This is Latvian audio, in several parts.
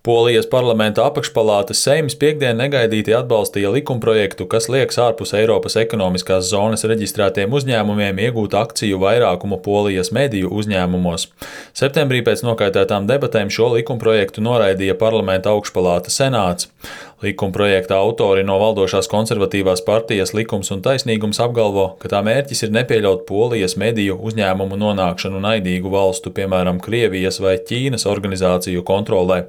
Polijas parlamenta apakšpalātes Seims piektdien negaidīti atbalstīja likumprojektu, kas lieks ārpus Eiropas ekonomiskās zonas reģistrētiem uzņēmumiem iegūt akciju vairākumu Polijas mediju uzņēmumos. Septembrī pēc nokaitētām debatēm šo likumprojektu noraidīja parlamenta augšpalāta Senāts. Likumprojekta autori no valdošās konservatīvās partijas Likums un taisnīgums apgalvo, ka tā mērķis ir nepieļaut Polijas mediju uzņēmumu nonākšanu naidīgu valstu, piemēram, Krievijas vai Ķīnas organizāciju kontrolē.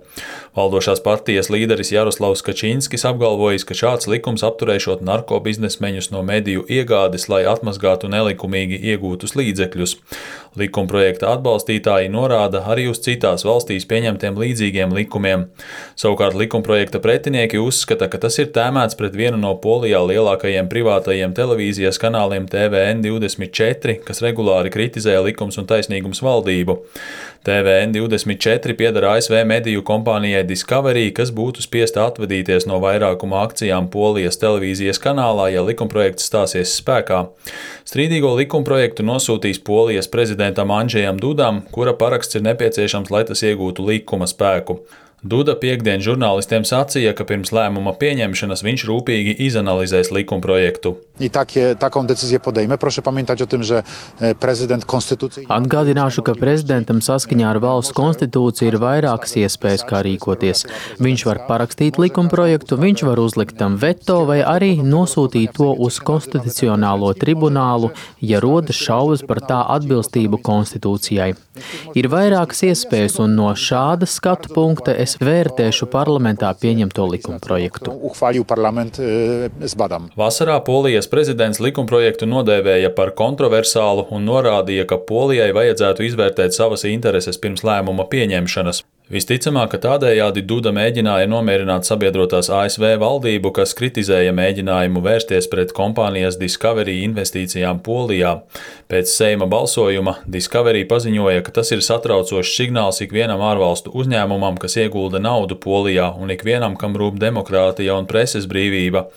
Valdošās partijas līderis Jaroslavs Kačinskis apgalvojis, ka šāds likums apturēšot narkobiznesmeņus no mediju iegādes, lai atmazgātu nelikumīgi iegūtus līdzekļus. Likumprojekta atbalstītāji norāda arī uz citās valstīs pieņemtiem līdzīgiem likumiem. Savukārt likumprojekta pretinieki uzskata, ka tas ir tēmēts pret vienu no Polijā lielākajiem privātajiem televīzijas kanāliem TVN24, kas regulāri kritizē Likums un taisnīgums valdību. TVN24 pieder ASV mediju kompānijai Discovery, kas būtu spiesta atvadīties no vairākuma akcijām Polijas televīzijas kanālā, ja likumprojekts stāsies spēkā. Strīdīgo likumprojektu nosūtīs Polijas prezidentam Andžejam Dudam, kura paraksts ir nepieciešams, lai tas iegūtu likuma spēku. Duda piektdien žurnālistiem sacīja, ka pirms lēmuma pieņemšanas viņš rūpīgi izanalizēs likumprojektu. Atgādināšu, ka prezidentam saskaņā ar valsts konstitūciju ir vairākas iespējas, kā rīkoties. Viņš var parakstīt likumprojektu, viņš var uzlikt tam veto vai arī nosūtīt to uz konstitucionālo tribunālu, ja rodas šaubas par tā atbilstību konstitūcijai. Ir vairākas iespējas, un no šāda skatu punkta es vērtēšu parlamentā pieņemto likumprojektu. Vasarā Polijas prezidents likumprojektu nodēvēja par kontroversālu un norādīja, ka Polijai vajadzētu izvērtēt savas intereses pirms lēmuma pieņemšanas. Visticamāk, ka tādējādi Duda mēģināja nomierināt sabiedrotās ASV valdību, kas kritizēja mēģinājumu vērsties pret kompānijas Discovery investīcijām Polijā. Pēc Seima balsojuma Discovery paziņoja, ka tas ir satraucošs signāls ikvienam ārvalstu uzņēmumam, kas iegulda naudu Polijā, un ikvienam, kam rūp demokrātija un preses brīvība.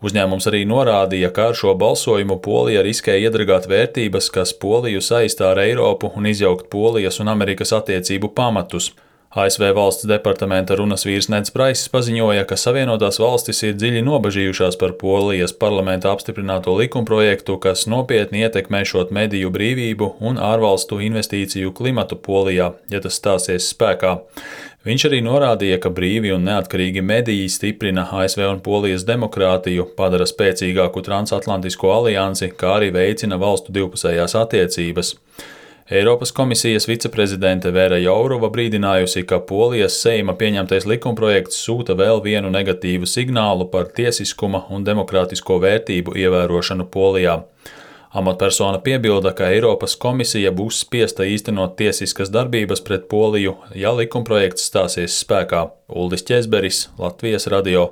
Uzņēmums arī norādīja, ka ar šo balsojumu Polija riskē iedragāt vērtības, kas Poliju saistā ar Eiropu un izjaukt Polijas un Amerikas attiecību pamatus. ASV valsts departamenta runas vīrs Neds Praiss paziņoja, ka Savienotās valstis ir dziļi nobažījušās par Polijas parlamenta apstiprināto likumprojektu, kas nopietni ietekmēšot mediju brīvību un ārvalstu investīciju klimatu Polijā, ja tas stāsies spēkā. Viņš arī norādīja, ka brīvi un neatkarīgi mediji stiprina ASV un Polijas demokrātiju, padara spēcīgāku transatlantisko aliansi, kā arī veicina valstu divpusējās attiecības. Eiropas komisijas viceprezidente Vera Jourova brīdinājusi, ka Polijas Seima pieņemtais likumprojekts sūta vēl vienu negatīvu signālu par tiesiskuma un demokrātisko vērtību ievērošanu Polijā. Amatpersona piebilda, ka Eiropas komisija būs spiesta īstenot tiesiskas darbības pret Poliju, ja likumprojekts stāsies spēkā. Uldis Ķezberis, Latvijas radio.